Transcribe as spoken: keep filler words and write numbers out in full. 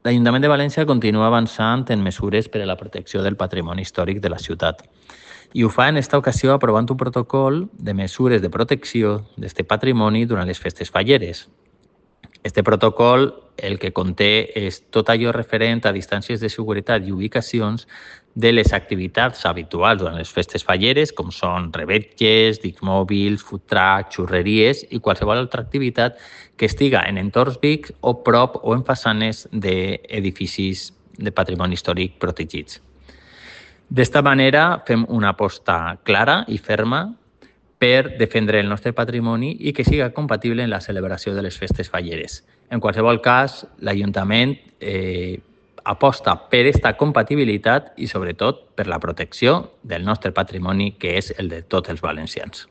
l'Ajuntament de València continua avançant en mesures per a la protecció del patrimoni històric de la ciutat. I ho fa en esta ocasió aprovant un protocol de mesures de protecció d'aquest patrimoni durant les festes falleres. Este protocol el que conté és tot allò referent a distàncies de seguretat i ubicacions de les activitats habituals durant les festes falleres, com són revetges, dics mòbils, food truck, xurreries i qualsevol altra activitat que estiga en entorns vics o prop o en façanes d'edificis de patrimoni històric protegits. D'esta manera fem una aposta clara i ferma per defendre el nostre patrimoni i que siga compatible en la celebració de les festes falleres. En qualsevol cas, l'Ajuntament eh, aposta per aquesta compatibilitat i, sobretot, per la protecció del nostre patrimoni, que és el de tots els valencians.